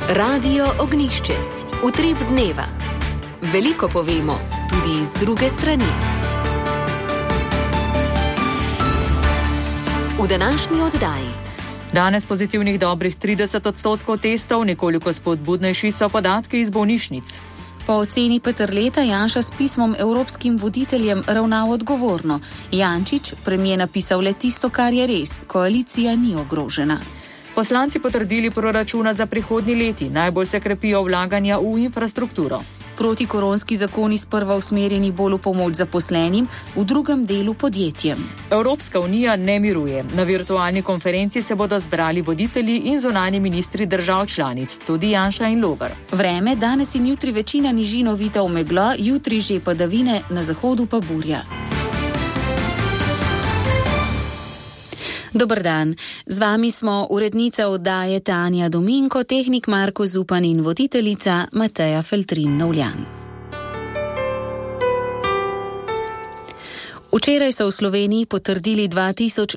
Radio Ognišče. Utrip dneva. Veliko povemo, tudi iz druge strani. V današnji oddaji. Danes pozitivnih dobrih 30% testov, nekoliko spodbudnejši so podatki iz bolnišnic. Po oceni Peterleta Janša s pismom evropskim voditeljem ravnal odgovorno. Jančič premijer napisal le tisto, kar je res. Koalicija ni ogrožena. Poslanci potrdili proračuna za prihodnji leti. Najbolj se krepijo vlaganja v infrastrukturo. Protikoronski zakoni sprva usmerjeni bolj v pomoč zaposlenim, v drugem delu podjetjem. Evropska unija ne miruje. Na virtualni konferenci se bodo zbrali voditelji in zunanji ministri držav članic, tudi Janša in Logar. Vreme, danes in jutri večina nižin ovita v meglo, jutri že padavine, na zahodu pa burja. Dober dan, z vami smo urednica oddaje Tanja Dominko, tehnik Marko Zupan in voditeljica Mateja Feltrin-Novljan. Včeraj so v Sloveniji potrdili 2064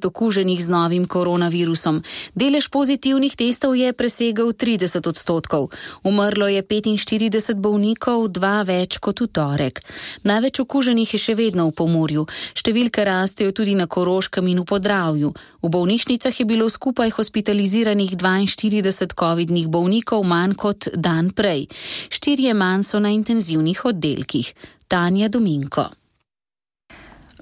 okuženih z novim koronavirusom. Delež pozitivnih testov je presegel 30%. Umrlo je 45 bolnikov, 2 več kot v torek. Največ okuženih je še vedno v Pomurju. Številke rastejo tudi na Koroškem in v Podravju. V bolnišnicah je bilo skupaj hospitaliziranih 42 covidnih bolnikov manj kot dan prej. 4 manj so na intenzivnih oddelkih. Tanja Dominko.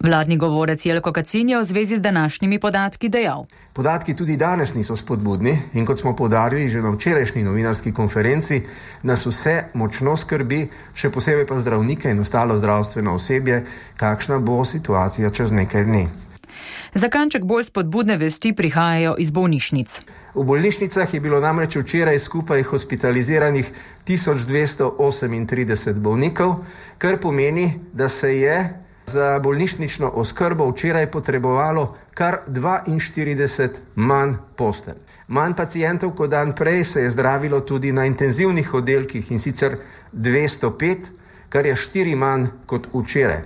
Vladni govorec Jelko Kacin je v zvezi z današnjimi podatki dejal. Podatki tudi danes niso spodbudni in kot smo poudarili že na včerajšnji novinarski konferenci, nas vse močno skrbi, še posebej pa zdravnike in ostalo zdravstveno osebje, kakšna bo situacija čez nekaj dni. Za kanček bolj spodbudne vesti prihajajo iz bolnišnic. V bolnišnicah je bilo namreč včeraj skupaj hospitaliziranih 1238 bolnikov, kar pomeni, da se je za bolnišnično oskrbo včeraj potrebovalo kar 42 manj postelj. Manj pacientov kot dan prej se je zdravilo tudi na intenzivnih oddelkih in sicer 205, kar je 4 manj kot včeraj.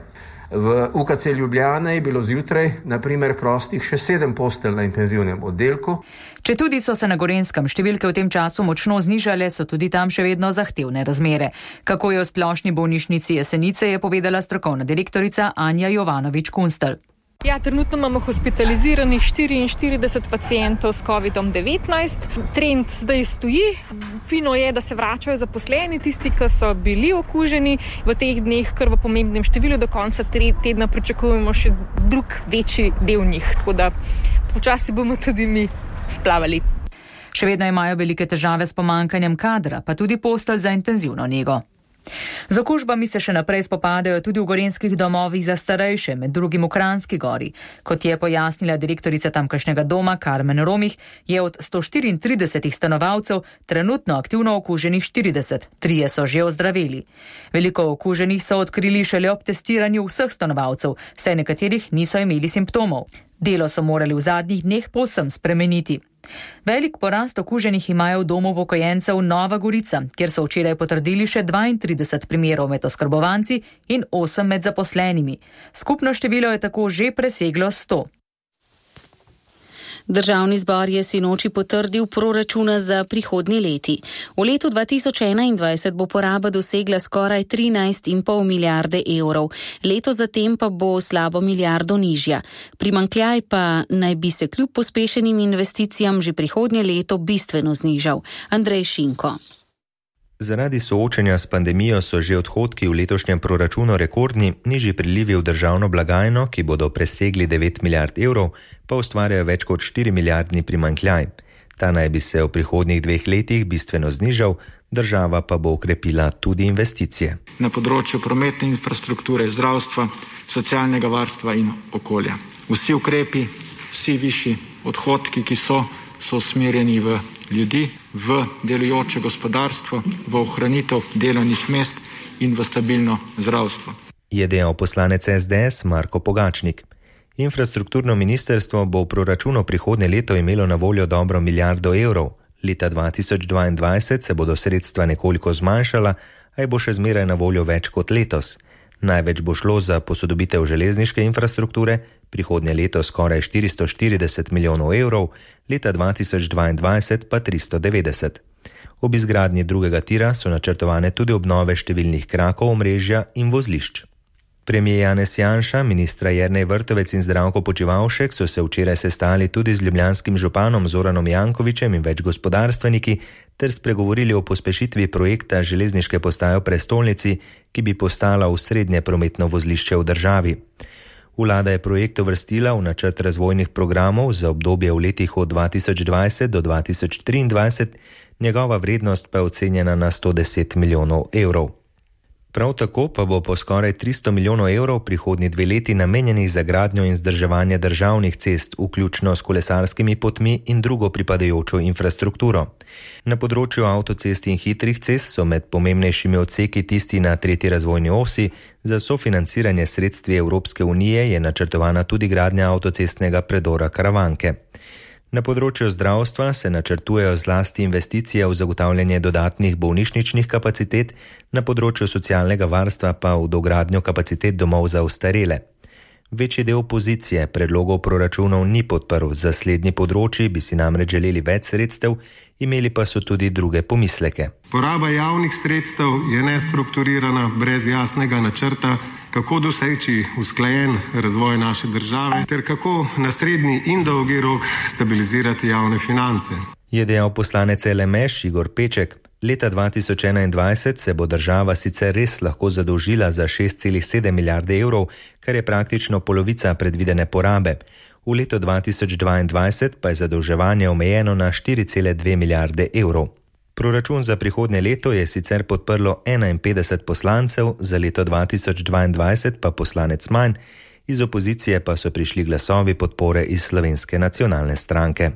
V UKC Ljubljana je bilo zjutraj, na primer, prostih še 7 postelj na intenzivnem oddelku. Četudi so se na Gorenjskem številke v tem času močno znižale, so tudi tam še vedno zahtevne razmere. Kako je v splošni bolnišnici Jesenice, je povedala strokovna direktorica Anja Jovanovič-Kunstelj. Ja, trenutno imamo hospitaliziranih 44 pacientov s COVID-19. Trend zdaj stoji. Fino je, da se vračajo zaposleni, tisti, ki so bili okuženi v teh dneh, kar v pomembnem številu. Do konca tedna pričakujemo še drug večji del njih. Tako da počasi bomo tudi mi splavali. Še vedno imajo velike težave s pomanjkanjem kadra, pa tudi postelj za intenzivno nego. Z okužbami se še naprej spopadajo tudi v gorenjskih domovih za starejše, med drugim v Kranjski Gori. Kot je pojasnila direktorica tamkajšnjega doma Karmen Romih, je od 134 stanovalcev trenutno aktivno okuženih 40, 3 so že ozdraveli. Veliko okuženih so odkrili šele ob testiranju vseh stanovalcev, saj nekaterih niso imeli simptomov. Delo so morali v zadnjih dneh povsem spremeniti. Velik porast okuženih imajo v domu upokojencev Nova Gorica, kjer so včeraj potrdili še 32 primerov med oskrbovanci in 8 med zaposlenimi. Skupno število je tako že preseglo 100. Državni zbor je sinoči potrdil proračuna za prihodnji leti. V letu 2021 bo poraba dosegla skoraj 13,5 milijarde evrov. Leto zatem pa bo slabo milijardo nižja. Primanjkljaj pa naj bi se kljub pospešenim investicijam že prihodnje leto bistveno znižal. Andrej Šinko. Zaradi soočenja s pandemijo so že odhodki v letošnjem proračunu rekordni, nižji prilivi v državno blagajno, ki bodo presegli 9 milijard evrov, pa ustvarjajo več kot 4 milijardni primanjkljaj. Ta naj bi se v prihodnjih 2 letih bistveno znižal, država pa bo ukrepila tudi investicije. Na področju prometne infrastrukture, zdravstva, socialnega varstva in okolja. Vsi ukrepi, vsi višji odhodki, ki so usmerjeni v ljudi, v delujoče gospodarstvo, v ohranitev delovnih mest in v stabilno zdravstvo. Je dejal poslanec SDS Marko Pogačnik. Infrastrukturno ministrstvo bo v proračunu prihodnje leto imelo na voljo dobro milijardo evrov. Leta 2022 se bodo sredstva nekoliko zmanjšala, a bo še zmeraj na voljo več kot letos. Največ bo šlo za posodobitev železniške infrastrukture, prihodnje leto skoraj 440 milijonov evrov, leta 2022 pa 390. Ob izgradnji drugega tira so načrtovane tudi obnove številnih krakov omrežja in vozlišč. Premijer Janez Janša, ministra Jernej Vrtovec in Zdravko Počivalšek so se včeraj sestali tudi z ljubljanskim županom Zoranom Jankovićem in več gospodarstveniki ter spregovorili o pospešitvi projekta železniške postaje v prestolnici, ki bi postala osrednje prometno vozlišče v državi. Vlada je projekt uvrstila v načrt razvojnih programov za obdobje v letih od 2020 do 2023, njegova vrednost pa je ocenjena na 110 milijonov evrov. Prav tako pa bo po skoraj 300 milijonov evrov prihodnji 2 leti namenjenih za gradnjo in vzdrževanje državnih cest, vključno s kolesarskimi potmi in drugo pripadajočo infrastrukturo. Na področju avtocest in hitrih cest so med pomembnejšimi odseki tisti na 3. razvojni osi. Za sofinanciranje sredstvi Evropske unije je načrtovana tudi gradnja avtocestnega predora Karavanke. Na področju zdravstva se načrtujejo zlasti investicije v zagotavljanje dodatnih bolnišničnih kapacitet, na področju socialnega varstva pa v dogradnjo kapacitet domov za ostarele. Večji del opozicije predlogov proračunov ni podprl, za slednji področji bi si namreč želeli več sredstev, imeli pa so tudi druge pomisleke. Poraba javnih sredstev je nestrukturirana, brez jasnega načrta, kako doseči usklajen razvoj naše države ter kako na srednji in dolgi rok stabilizirati javne finance. Je dejal poslanec LMŠ Igor Peček. Leta 2021 se bo država sicer res lahko zadolžila za 6,7 milijarde evrov, kar je praktično polovica predvidene porabe. V letu 2022 pa je zadolževanje omejeno na 4,2 milijarde evrov. Proračun za prihodnje leto je sicer podprlo 51 poslancev, za leto 2022 pa poslanec manj, iz opozicije pa so prišli glasovi podpore iz Slovenske nacionalne stranke.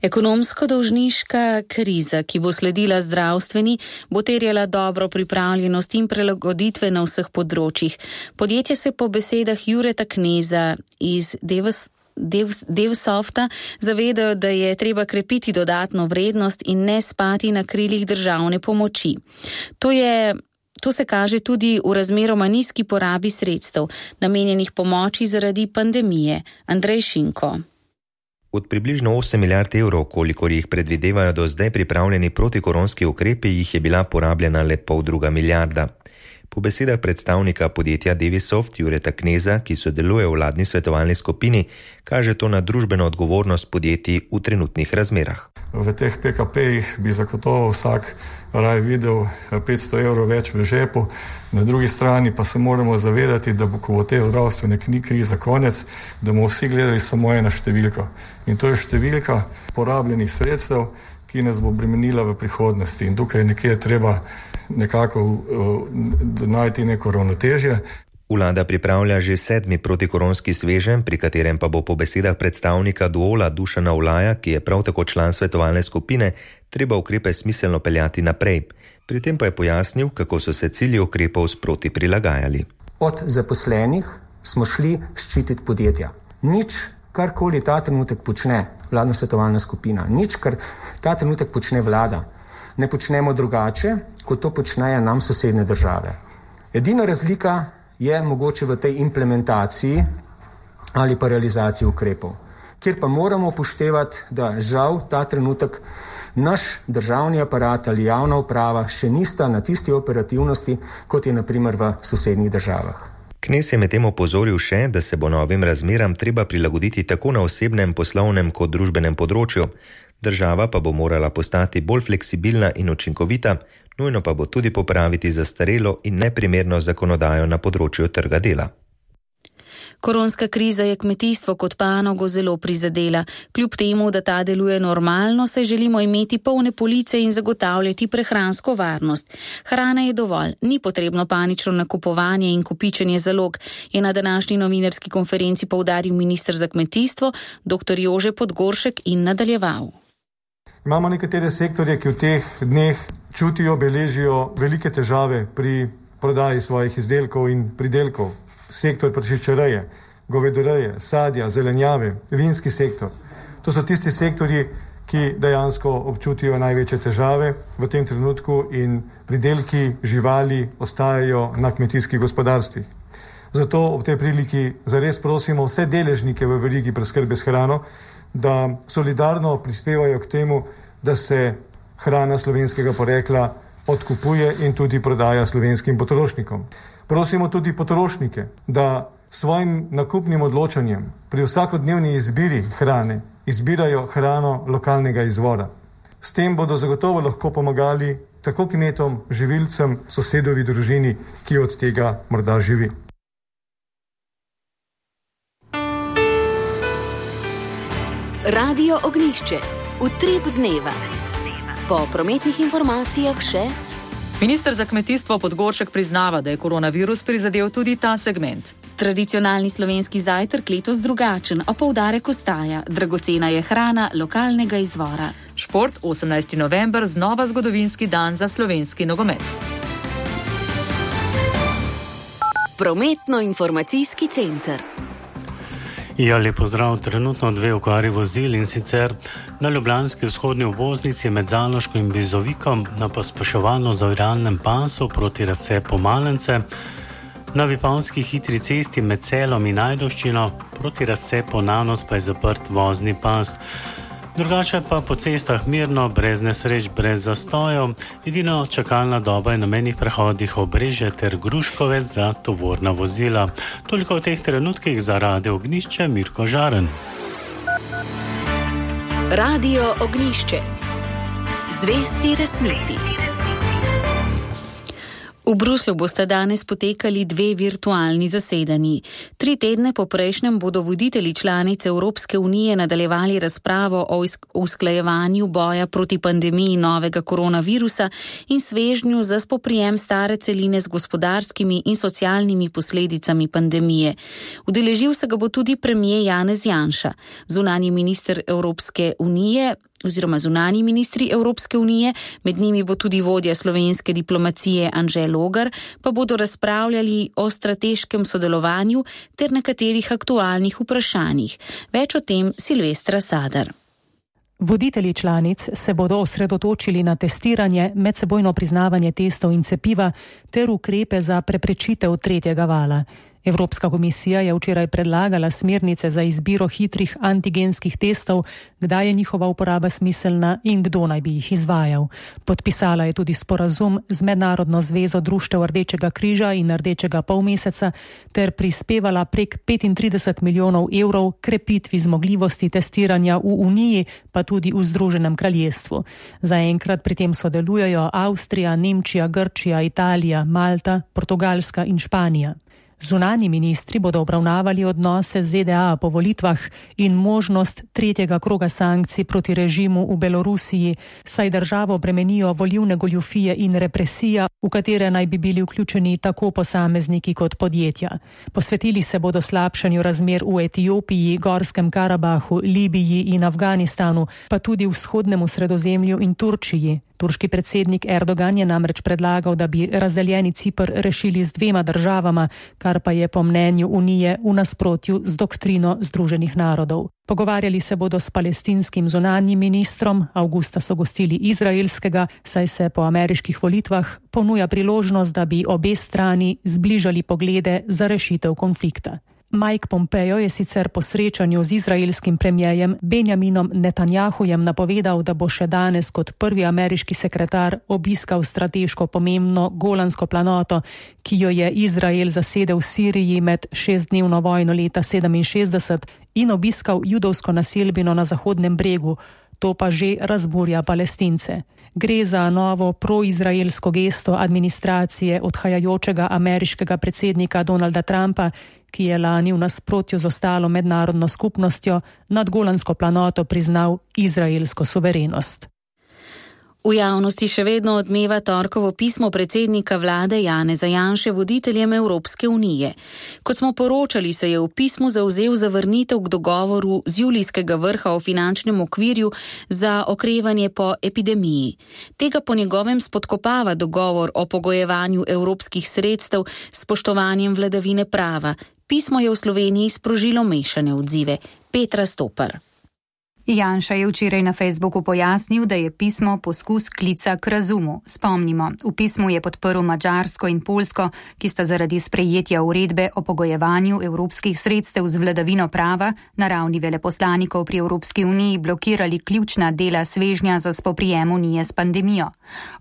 Ekonomsko-dolžniška kriza, ki bo sledila zdravstveni, bo terjala dobro pripravljenost in prilagoditve na vseh področjih. Podjetje se po besedah Jureta Kneza iz Devsofta zavedajo, da je treba krepiti dodatno vrednost in ne spati na krilih državne pomoči. To se kaže tudi v razmeroma nizki porabi sredstev, namenjenih pomoči zaradi pandemije. Andrej Šinko. Od približno 8 milijard evrov, kolikor jih predvidevajo do zdaj pripravljeni protikoronski ukrepi, jih je bila porabljena le 0,5 milijarda. Po besedah predstavnika podjetja Devisoft Jureta Kneza, ki sodeluje v vladni svetovalni skupini, kaže to na družbeno odgovornost podjetij v trenutnih razmerah. V teh PKP-jih bi zagotovo vsak raje videl 500 evrov več v žepu, na drugi strani pa se moramo zavedati, da ko bo te zdravstvene krize konec, da bomo vsi gledali samo eno številko. In to je številka porabljenih sredstev, ki nas bo bremenila v prihodnosti. In tukaj nekje treba nekako najti neko ravnotežje. Vlada pripravlja že 7. protikoronski sveženj, pri katerem pa bo po besedah predstavnika Duola Dušana Olaja, ki je prav tako član svetovalne skupine, treba ukrepe smiselno peljati naprej. Pri tem pa je pojasnil, kako so se cilji ukrepov sproti prilagajali. Od zaposlenih smo šli ščititi podjetja. Nič, karkoli ta trenutek počne vladna svetovalna skupina, nič, kar ta trenutek počne vlada, ne počnemo drugače, kot to počnejo nam sosednje države. Edina razlika je mogoče v tej implementaciji ali pa realizaciji ukrepov, kjer pa moramo upoštevati, da žal ta trenutek naš državni aparat ali javna uprava še nista na tisti operativnosti, kot je na primer v sosednjih državah. Knez je medtem opozoril še, da se bo novim razmeram treba prilagoditi tako na osebnem, poslovnem kot družbenem področju. Država pa bo morala postati bolj fleksibilna in učinkovita, nujno pa bo tudi popraviti zastarelo in neprimerno zakonodajo na področju trga dela. Koronska kriza je kmetijstvo kot panogo zelo prizadela. Kljub temu, da ta deluje normalno, se želimo imeti polne police in zagotavljati prehransko varnost. Hrana je dovolj, ni potrebno panično nakupovanje in kopičenje zalog, je na današnji novinarski konferenci poudaril minister za kmetijstvo, dr. Jože Podgoršek in nadaljeval. Imamo nekatere sektorje, ki v teh dneh čutijo, beležijo velike težave pri prodaji svojih izdelkov in pridelkov. Sektor prašičereje, govedoreje, sadja, zelenjave, vinski sektor. To so tisti sektorji, ki dejansko občutijo največje težave v tem trenutku in pridelki živali ostajajo na kmetijskih gospodarstvih. Zato ob tej priliki zares prosimo vse deležnike v verigi preskrbe s hrano, da solidarno prispevajo k temu, da se hrana slovenskega porekla odkupuje in tudi prodaja slovenskim potrošnikom. Prosimo tudi potrošnike, da svojim nakupnim odločanjem pri vsakodnevni izbiri hrane izbirajo hrano lokalnega izvora. S tem bodo zagotovo lahko pomagali tako kmetom, živilcem, sosedovi družini, ki od tega morda živi. Radio Ognjišče. Utrip dneva. Po prometnih informacijah še. Minister za kmetijstvo Podgoršek priznava, da je koronavirus prizadel tudi ta segment. Tradicionalni slovenski zajtrk letos drugačen, a poudarek ostaja. Dragocena je hrana lokalnega izvora. Šport 18. november, znova zgodovinski dan za slovenski nogomet. Prometno-informacijski center. Ja, lep pozdrav. Trenutno 2 okvari vozil, in sicer na ljubljanski vzhodni obvoznici med Zaloško in Bizovikom na pospeševalno zaviralnem pasu proti razcepu Malence, na Vipavski hitri cesti med Celom in Ajdovščino proti razcepu Nanos pa je zaprt vozni pas. Drugače pa po cestah mirno, brez nesreč, brez zastojev. Edino čakalna doba je na mejnih prehodih Obrežje ter Gruškovec za tovorna vozila. Toliko v teh trenutkih za Radio Ognjišče, Mirko Žaren. Radio Ognjišče. Zvesti resnici. V Bruslju bosta danes potekali 2 virtualni zasedanji. 3 tedne po prejšnjem bodo voditelji članic Evropske unije nadaljevali razpravo o usklajevanju boja proti pandemiji novega koronavirusa in svežnju za spoprijem stare celine z gospodarskimi in socialnimi posledicami pandemije. Udeležil se ga bo tudi premier Janez Janša, zunanji minister Evropske unije oziroma zunanji ministri Evropske unije, med njimi bo tudi vodja slovenske diplomacije Anže Logar, pa bodo razpravljali o strateškem sodelovanju ter nekaterih aktualnih vprašanjih. Več o tem Silvestra Sadar. Voditelji članic se bodo osredotočili na testiranje, medsebojno priznavanje testov in cepiva ter ukrepe za preprečitev 3. vala. Evropska komisija je včeraj predlagala smernice za izbiro hitrih antigenskih testov, kdaj je njihova uporaba smiselna in kdo naj bi jih izvajal. Podpisala je tudi sporazum z Mednarodno zvezo društev Rdečega križa in Rdečega polmeseca ter prispevala prek 35 milijonov evrov krepitvi zmogljivosti testiranja v Uniji, pa tudi v Združenem kraljestvu. Zaenkrat pri tem sodelujejo Avstrija, Nemčija, Grčija, Italija, Malta, Portugalska in Španija. Zunanji ministri bodo obravnavali odnose z ZDA po volitvah in možnost 3. kroga sankcij proti režimu v Belorusiji, saj državo bremenijo volilne goljufije in represija, v katere naj bi bili vključeni tako posamezniki kot podjetja. Posvetili se bodo slabšanju razmer v Etiopiji, Gorskem Karabahu, Libiji in Afganistanu, pa tudi vzhodnemu Sredozemlju in Turčiji. Turški predsednik Erdogan je namreč predlagal, da bi razdeljeni Ciper rešili z 2 državama, kar pa je po mnenju Unije v nasprotju z doktrino Združenih narodov. Pogovarjali se bodo s palestinskim zunanjim ministrom, avgusta so gostili izraelskega, saj se po ameriških volitvah ponuja priložnost, da bi obe strani zbližali poglede za rešitev konflikta. Mike Pompeo je sicer po srečanju z izraelskim premierjem Benjaminom Netanjahujem napovedal, da bo še danes kot prvi ameriški sekretar obiskal strateško pomembno Golansko planoto, ki jo je Izrael zasedel v Siriji med 6-dnevno vojno leta 1967 in obiskal judovsko naselbino na Zahodnem bregu. To pa že razburja Palestince. Gre za novo proizraelsko gesto administracije odhajajočega ameriškega predsednika Donalda Trumpa, ki je lani v nasprotju z ostalo mednarodno skupnostjo nad Golansko planoto priznal izraelsko suverenost. V javnosti še vedno odmeva torkovo pismo predsednika vlade Janeza Janše voditeljem Evropske unije. Kot smo poročali, se je v pismu zavzel za vrnitev k dogovoru z julijskega vrha o finančnem okvirju za okrevanje po epidemiji. Tega po njegovem spodkopava dogovor o pogojevanju evropskih sredstev s spoštovanjem vladavine prava. Pismo je v Sloveniji sprožilo mešane odzive. Petra Stopar. Janša je včeraj na Facebooku pojasnil, da je pismo poskus klica k razumu. Spomnimo, v pismu je podprl Madžarsko in Poljsko, ki sta zaradi sprejetja uredbe o pogojevanju evropskih sredstev z vladavino prava na ravni veleposlanikov pri Evropski uniji blokirali ključna dela svežnja za spoprijem unije s pandemijo.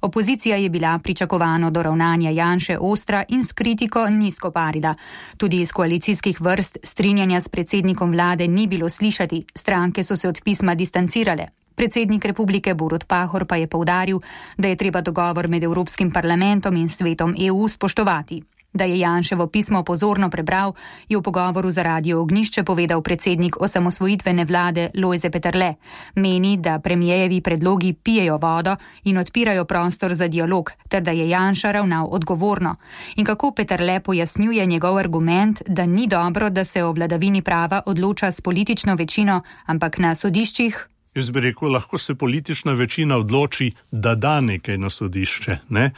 Opozicija je bila pričakovano do ravnanja Janše ostra in s kritiko ni skoparila. Tudi iz koalicijskih vrst strinjanja s predsednikom vlade ni bilo slišati, stranke so se od pisma distancirale. Predsednik republike Borut Pahor pa je poudaril, da je treba dogovor med Evropskim parlamentom in svetom EU spoštovati. Da je Janševo pismo pozorno prebral, je v pogovoru za Radio Ognjišče povedal predsednik osamosvojitvene vlade Lojze Peterle. Meni, da premijejevi predlogi pijejo vodo in odpirajo prostor za dialog, ter da je Janša ravnal odgovorno. In kako Peterle pojasnjuje njegov argument, da ni dobro, da se o vladavini prava odloča s politično večino, ampak na sodiščih? Jaz bi rekel, lahko se politična večina odloči, da da nekaj na sodišče. Ne?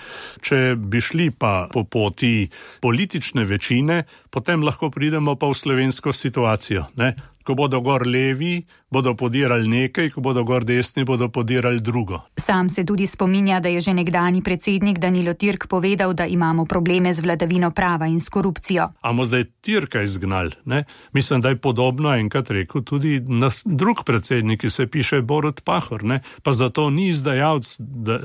Če bi šli pa po poti politične večine, potem lahko pridemo pa v slovensko situacijo. Ne? Ko bodo gor levi, bodo podirali nekaj, ko bodo gor desni, bodo podirali drugo. Sam se tudi spominja, da je že nekdanji predsednik Danilo Türk povedal, da imamo probleme z vladavino prava in s korupcijo. Amo zdaj Türka izgnali, ne? Mislim, da je podobno enkrat rekel tudi drug predsednik, ki se piše Borut Pahor, ne? Pa zato ni izdajalec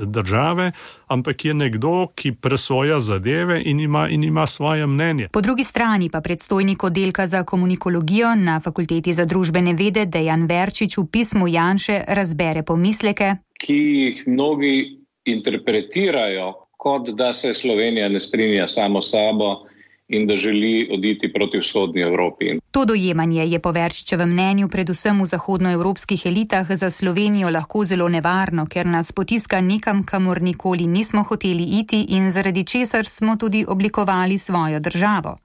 države, ampak je nekdo, ki presoja zadeve in ima svoje mnenje. Po drugi strani pa predstojnik oddelka za komunikologijo na Fakulteti za družbene vede Dejan Verčič v pismu Janše razbere pomisleke, ki jih mnogi interpretirajo, kot da se Slovenija ne strinja samo s sabo in da želi oditi proti vzhodni Evropi. To dojemanje je po Verčičevem mnenju predvsem v zahodnoevropskih elitah za Slovenijo lahko zelo nevarno, ker nas potiska nekam, kamor nikoli nismo hoteli iti in zaradi česar smo tudi oblikovali svojo državo.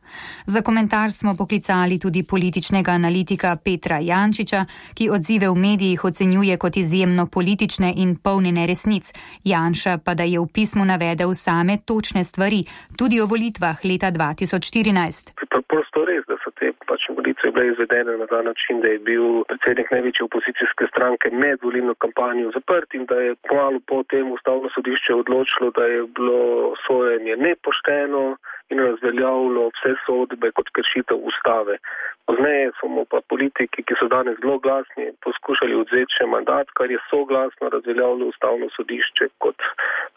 Za komentar smo poklicali tudi političnega analitika Petra Jančiča, ki odzive v medijih ocenjuje kot izjemno politične in polnjene resnic. Janša pa da je v pismu navedel same točne stvari, tudi o volitvah leta 2014. Prosto res, da so te volitve bile izvedene na ta način, da je bil predsednik največje opozicijske stranke med volilno kampanjo zaprt in da je kmalu po tem Ustavno sodišče odločilo, da je bilo sojenje nepošteno in razveljavilo vse sodbe kot kršitev ustave. Pozneje so mu pa politiki, ki so danes zelo glasni, poskušali odzeti še mandat, kar je soglasno razveljavilo Ustavno sodišče kot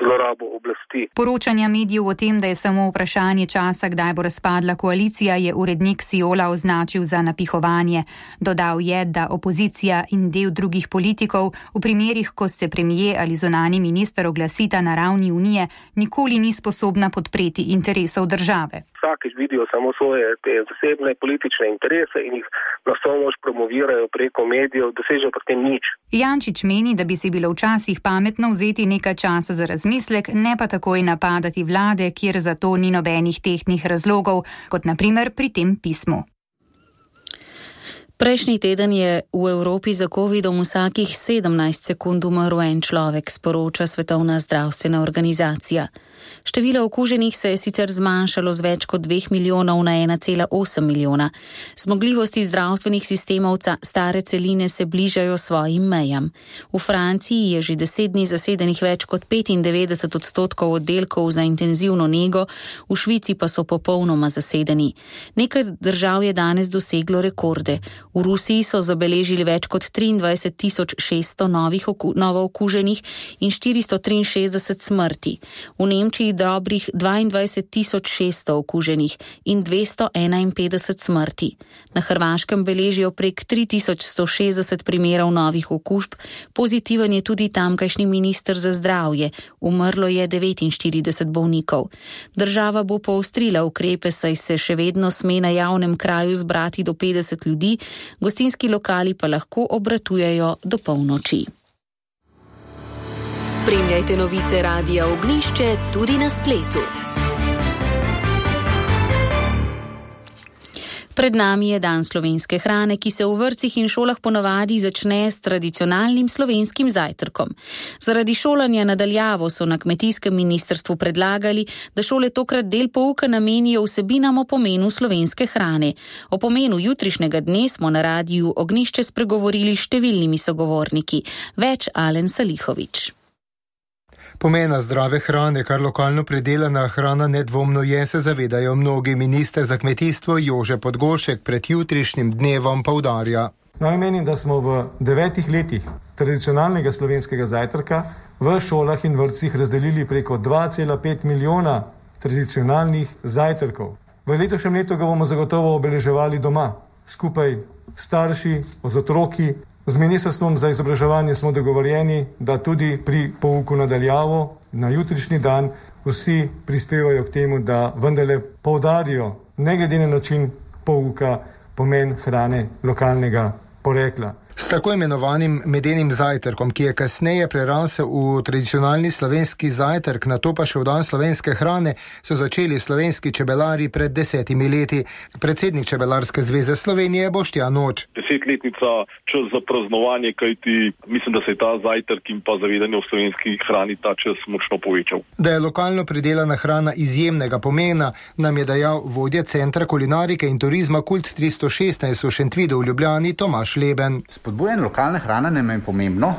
zlorabo oblasti. Poročanja medijev o tem, da je samo vprašanje časa, kdaj bo razpadla koalicija, je urednik Siola označil za napihovanje. Dodal je, da opozicija in del drugih politikov v primerih, ko se premijer ali zunanji minister oglasita na ravni unije, nikoli ni sposobna podpreti interesov države. Vsakič vidijo samo svoje zasebne politične interese in jih na vso moč promovirajo preko medijev, dosežejo pa tem nič. Jančič meni, da bi si bilo včasih pametno vzeti nekaj časa za razmislek, ne pa takoj napadati vlade, kjer za to ni nobenih tehtnih razlogov, kot na primer pri tem pismu. Prejšnji teden je v Evropi za covidom vsakih 17 sekund umrl en človek, sporoča Svetovna zdravstvena organizacija. Število okuženih se je sicer zmanjšalo z več kot 2 milijonov na 1,8 milijona. Zmogljivosti zdravstvenih sistemov stare celine se bližajo svojim mejam. V Franciji je že 10 dni zasedenih več kot 95% oddelkov za intenzivno nego, v Švici pa so popolnoma zasedeni. Nekaj držav je danes doseglo rekorde. V Rusiji so zabeležili več kot 23.600 novo okuženih in 463 smrti. V Nemčiji dobrih 22.600 okuženih in 251 smrti. Na Hrvaškem beležijo prek 3160 primerov novih okužb, pozitiven je tudi tamkajšnji minister za zdravje, umrlo je 49 bolnikov. Država bo poostrila ukrepe, saj se še vedno sme na javnem kraju zbrati do 50 ljudi, gostinski lokali pa lahko obratujejo do polnoči. Spremljajte novice Radia Ognjišče tudi na spletu. Pred nami je dan slovenske hrane, ki se v vrtcih in šolah ponavadi začne s tradicionalnim slovenskim zajtrkom. Zaradi šolanja nadaljavo so na kmetijskem ministrstvu predlagali, da šole tokrat del pouka namenijo vsebinam o pomenu slovenske hrane. O pomenu jutrišnjega dne smo na radiju Ognjišče spregovorili s številnimi sogovorniki. Več Alen Salihović. Pomena zdrave hrane, kar lokalno pridelana hrana nedvomno je, se zavedajo mnogi. Minister za kmetijstvo Jože Podgoršek pred jutrišnjim dnevom poudarja. Naj menim, da smo v 9 letih tradicionalnega slovenskega zajtrka v šolah in vrtcih razdelili preko 2,5 milijona tradicionalnih zajtrkov. V letošnjem letu ga bomo zagotovo obeleževali doma, skupaj starši, z otroki. Z Ministrstvom za izobraževanje smo dogovorjeni, da tudi pri pouku nadaljavo na jutrišnji dan vsi prispevajo k temu, da vendarle poudarijo, ne glede na način pouka, pomen hrane lokalnega porekla. S tako imenovanim medenim zajtrkom, ki je kasneje prerasel v tradicionalni slovenski zajtrk, nato pa še v dan slovenske hrane, so začeli slovenski čebelari pred 10 leti. Predsednik Čebelarske zveze Slovenije Boštjan Noč. 10-letnica čas za praznovanje, kajti mislim, da se je ta zajtrk in pa zavedanje o slovenski hrani ta čas močno povečal. Da je lokalno pridelana hrana izjemnega pomena, nam je dejal vodja Centra kulinarike in turizma Kult 316 v Šentvidu v Ljubljani Tomaž Leben. Spodbujanje lokalne hrane nam je pomembno,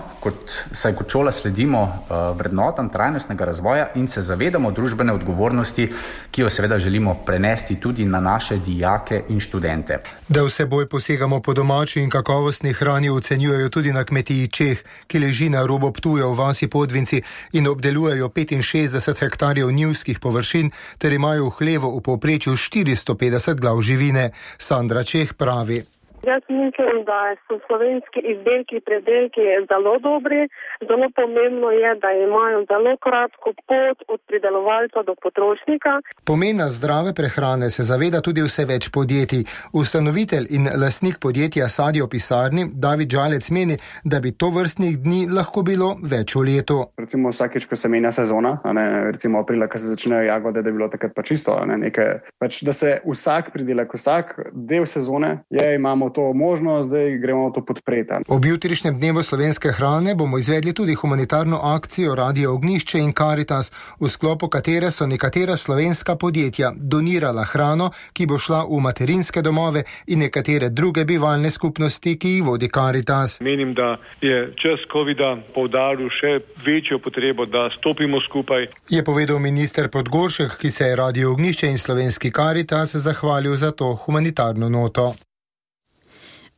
saj kot šola sledimo vrednotam trajnostnega razvoja in se zavedamo družbene odgovornosti, ki jo seveda želimo prenesti tudi na naše dijake in študente. Da vseboj posegamo po domači in kakovostni hrani, ocenjujejo tudi na kmetiji Čeh, ki leži na robu Ptuja v vasi Podvinci in obdelujejo 65 hektarjev njivskih površin ter imajo v hlevu v povprečju 450 glav živine. Sandra Čeh pravi. Jaz mislim, da so slovenski izdelki, predelki zelo dobri. Zelo pomembno je, da imajo zelo kratko pot od pridelovalca do potrošnika. Pomena zdrave prehrane se zaveda tudi vse več podjetij. Ustanovitelj in lastnik podjetja Sadje v pisarni David Žalec meni, da bi to vrstnih dni lahko bilo več v letu. Recimo vsakeč, ko se menja sezona, recimo aprila, ko se začnejo jagode, da je bilo takrat pa čisto, da se vsak pridelek, vsak del sezone imamo to možnost, zdaj gremo to podpreti. Ob jutrišnjem dnevu slovenske hrane bomo izvedli tudi humanitarno akcijo Radio Ognjišče in Karitas, v sklopu katere so nekatera slovenska podjetja donirala hrano, ki bo šla v materinske domove in nekatere druge bivalne skupnosti, ki jih vodi Karitas. Menim, da je čas covida poudaril še večjo potrebo, da stopimo skupaj. Je povedal minister Podgoršek, ki se je Radio Ognjišče in slovenski Karitas zahvalil za to humanitarno noto.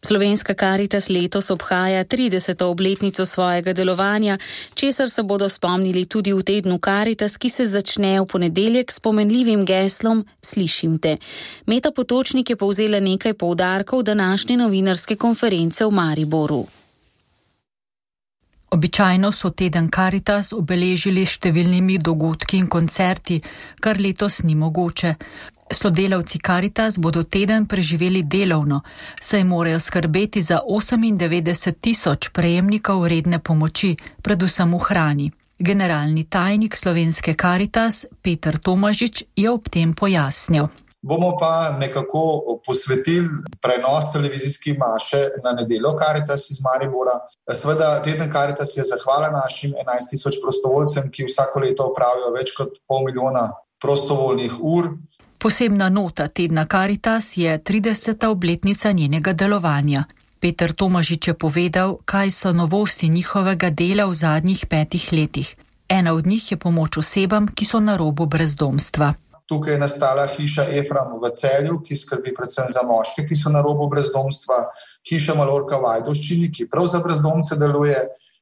Slovenska Karitas letos obhaja 30. obletnico svojega delovanja, česar se bodo spomnili tudi v tednu Karitas, ki se začne v ponedeljek s pomenljivim geslom Slišim te. Meta Potočnik je povzela nekaj poudarkov današnje novinarske konference v Mariboru. Običajno so teden Karitas obeležili s številnimi dogodki in koncerti, kar letos ni mogoče. Sodelavci Karitas bodo teden preživeli delovno, saj morajo skrbeti za 98.000 prejemnikov redne pomoči, predvsem v hrani. Generalni tajnik slovenske Karitas Peter Tomažič je ob tem pojasnil. Bomo pa nekako posvetili prenos televizijske maše na nedeljo Karitas iz Maribora. Seveda, teden Karitas je zahvala našim 11.000 prostovoljcem, ki vsako leto opravijo več kot 500.000 prostovoljnih ur. Posebna nota tedna Karitas je 30. obletnica njenega delovanja. Peter Tomažič je povedal, kaj so novosti njihovega dela v zadnjih 5 letih. Ena od njih je pomoč osebam, ki so na robu brezdomstva. Tukaj je nastala hiša Efram v Celju, ki skrbi predvsem za moške, ki so na robu brezdomstva, hiša Malorka v Ajdovščini, ki prav za brezdomce deluje,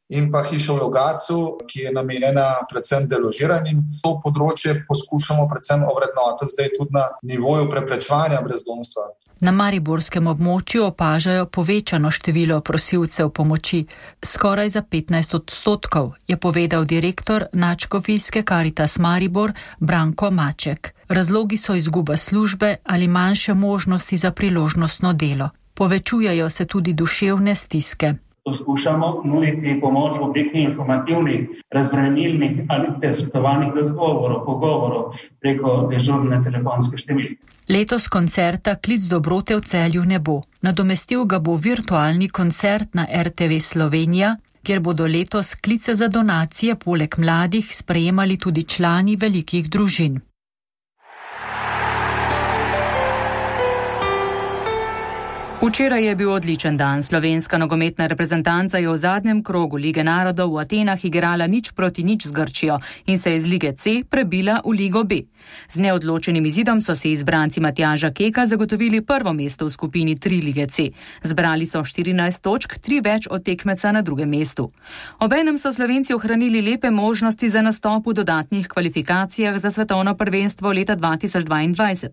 in pa hiša v Logatcu, ki je namenjena predvsem deložiranim. To področje poskušamo predvsem ovrednotiti zdaj tudi na nivoju preprečevanja brezdomstva. Na mariborskem območju opažajo povečano število prosilcev pomoči, skoraj za 15%, je povedal direktor nadškofijske Karitas Maribor Branko Maček. Razlogi so izguba službe ali manjše možnosti za priložnostno delo. Povečujejo se tudi duševne stiske. poskušamo nuditi pomoč v obliki informativnih, razbremenilnih ali svetovalnih razgovorov, pogovorov preko dežurne telefonske številke. Letos koncerta Klic dobrote v Celju ne bo. Nadomestil ga bo virtualni koncert na RTV Slovenija, kjer bodo letos klice za donacije poleg mladih sprejemali tudi člani velikih družin. Včeraj je bil odličen dan. Slovenska nogometna reprezentanca je v zadnjem krogu Lige narodov v Atenah igrala 0-0 z Grčijo in se je iz Lige C prebila v Ligo B. Z neodločenim izidom so si izbranci Matjaža Keka zagotovili prvo mesto v skupini 3 Lige C. Zbrali so 14 točk, 3 več od tekmeca na drugem mestu. Obenem so Slovenci ohranili lepe možnosti za nastop v dodatnih kvalifikacijah za svetovno prvenstvo leta 2022.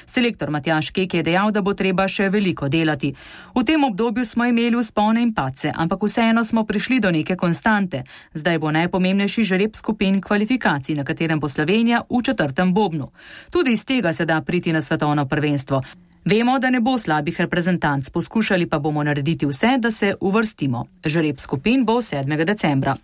Selektor Matjaž Kek je dejal, da bo treba še veliko delati. V tem obdobju smo imeli vzpone in padce, ampak vseeno smo prišli do neke konstante. Zdaj bo najpomembnejši žreb skupin kvalifikacij, na katerem bo Slovenija v 4. bobnu. Tudi iz tega se da priti na svetovno prvenstvo. Vemo, da ne bo slabih reprezentanc, poskušali pa bomo narediti vse, da se uvrstimo. Žreb skupin bo 7. decembra.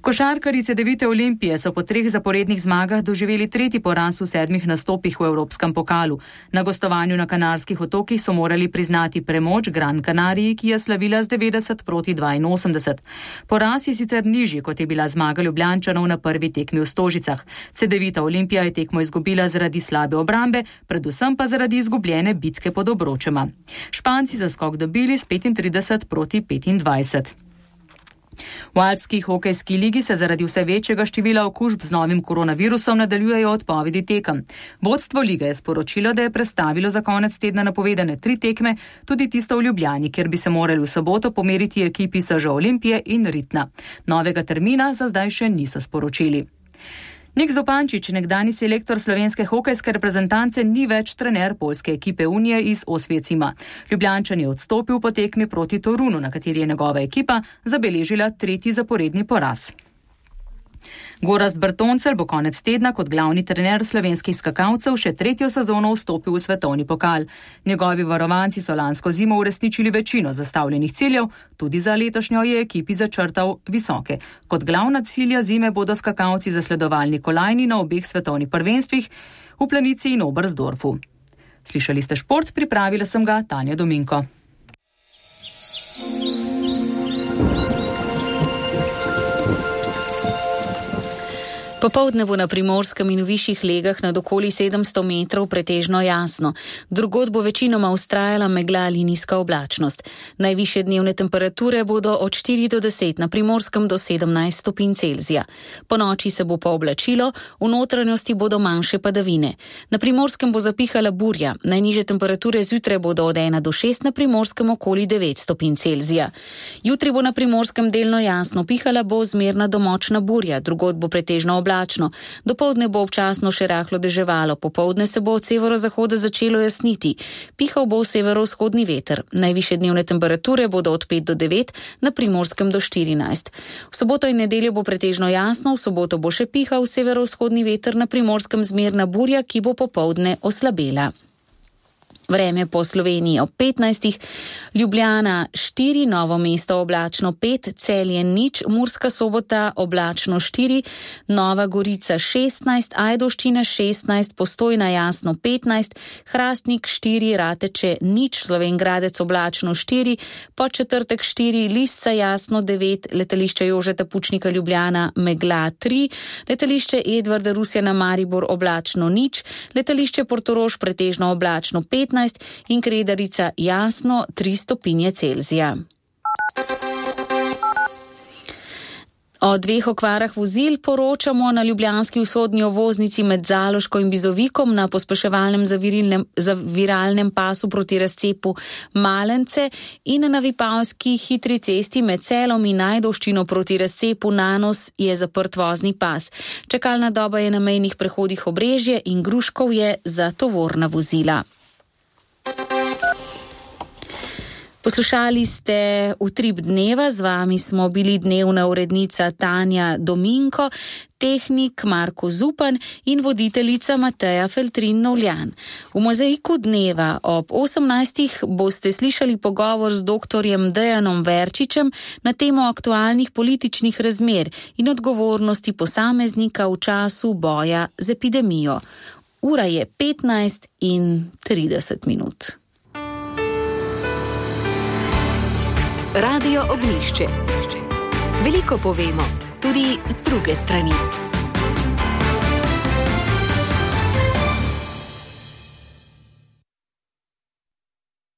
Košarkarji Cedevite Olimpije so po 3 zaporednih zmagah doživeli 3. poraz v 7 nastopih v Evropskem pokalu. Na gostovanju na Kanarskih otokih so morali priznati premoč Gran Canariji, ki je slavila z 90-82. Poraz je sicer nižji, kot je bila zmaga Ljubljančanov na prvi tekmi v Stožicah. Cedevita Olimpija je tekmo izgubila zaradi slabe obrambe, predvsem pa zaradi izgubljene bitke pod Obročema. Španci za skok dobili s 35-25. V Alpski hokejski ligi se zaradi vse večjega števila okužb z novim koronavirusom nadaljujejo odpovedi tekem. Vodstvo lige je sporočilo, da je prestavilo za konec tedna napovedane 3 tekme, tudi tisto v Ljubljani, kjer bi se morali v soboto pomeriti ekipi SŽ Olimpije in Ritna. Novega termina za zdaj še niso sporočili. Nik Zopančič, nekdani selektor slovenske hokejske reprezentance, ni več trener poljske ekipe Unije iz Osvecima. Ljubljančan je odstopil po tekmi proti Torunu, na kateri je njegova ekipa zabeležila 3. zaporedni poraz. Gorazd Bertoncelj bo konec tedna kot glavni trener slovenskih skakalcev še 3. sezono vstopil v svetovni pokal. Njegovi varovanci so lansko zimo uresničili večino zastavljenih ciljev, tudi za letošnjo je ekipi začrtal visoke. Kot glavna cilja zime bodo skakalci zasledovali kolajni na obeh svetovnih prvenstvih v Planici in Oberstdorfu. Slišali ste šport, pripravila sem ga Tanja Dominko. Popoldne bo na Primorskem in v višjih legah nad okoli 700 metrov pretežno jasno. Drugod bo večinoma vztrajala megla ali nizka oblačnost. Najvišje dnevne temperature bodo od 4 do 10, na Primorskem do 17 stopinj Celzija. Po noči se bo pooblačilo, v notranjosti bodo manjše padavine. Na Primorskem bo zapihala burja, najnižje temperature zjutraj bodo od 1 do 6, na Primorskem okoli 9 stopinj Celzija. Jutri bo na Primorskem delno jasno, pihala bo zmerna do močna burja, drugod bo pretežno oblačno. Dopoldne bo občasno še rahlo deževalo, popoldne se bo od severozahoda začelo jasniti. Pihal bo severovzhodni veter. Najvišje dnevne temperature bodo od 5 do 9, na Primorskem do 14. V soboto in nedeljo bo pretežno jasno, v soboto bo še pihal severovzhodni veter, na Primorskem zmerna burja, ki bo popoldne oslabela. Vreme po Sloveniji ob 15. Ljubljana 4, Novo mesto oblačno 5, Celje 0, Murska Sobota oblačno 4, Nova Gorica 16, Ajdovščina 16, Postojna jasno 15, Hrastnik 4, Rateče 0, Slovenj Gradec oblačno 4, Podčetrtek 4, Lisca jasno 9, letališče Jožeta Pučnika Ljubljana megla 3, letališče Edvarda Rusjana Maribor oblačno 0, letališče Portorož pretežno oblačno 15 in Kredarica jasno 3 stopinje Celzija. O 2 okvarah vozil poročamo na ljubljanski vzhodni ovoznici med Zaloško in Bizovikom na pospeševalnem zaviralnem pasu proti razcepu Malence in na Vipavski hitri cesti med Celom in Ajdovščino proti razcepu Nanos je zaprt vozni pas. Čakalna doba je na mejnih prehodih Obrežje in Gruškovje za tovorna vozila. Poslušali ste Utrip dneva, z vami smo bili dnevna urednica Tanja Dominko, tehnik Marko Zupan in voditeljica Mateja Feltrin-Novljan. V mozaiku dneva ob 18. boste slišali pogovor z doktorjem Dejanom Verčičem na temo aktualnih političnih razmer in odgovornosti posameznika v času boja z epidemijo. Ura je 15:30. Radio Ognjišče. Veliko povemo, tudi z druge strani.